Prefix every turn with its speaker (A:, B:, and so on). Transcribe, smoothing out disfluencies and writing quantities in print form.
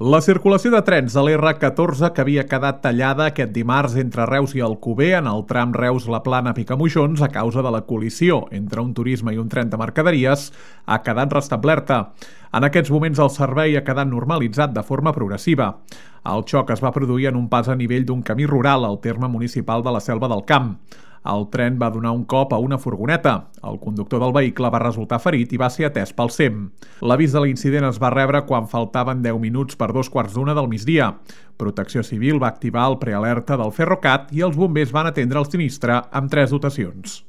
A: La circulació de trens de l'R14 que havia quedat tallada aquest dimarts entre Reus i Alcover en el tram Reus-La Plana-Picamoixons a causa de la col·lisió entre un turisme i un tren de mercaderies ha quedat restablerta. En aquests moments el servei ha quedat normalitzat de forma progressiva. El xoc es va produir en un pas a nivell d'un camí rural al terme municipal de la Selva del Camp. El tren va donar un cop a una furgoneta. El conductor del vehicle va resultar ferit i va ser atès pel SEM. L'avís de l'incident es va rebre quan faltaven 10 minuts per 2:15 del migdia. Protecció Civil va activar el prealerta del Ferrocat i els bombers van atendre el sinistre amb 3 dotacions.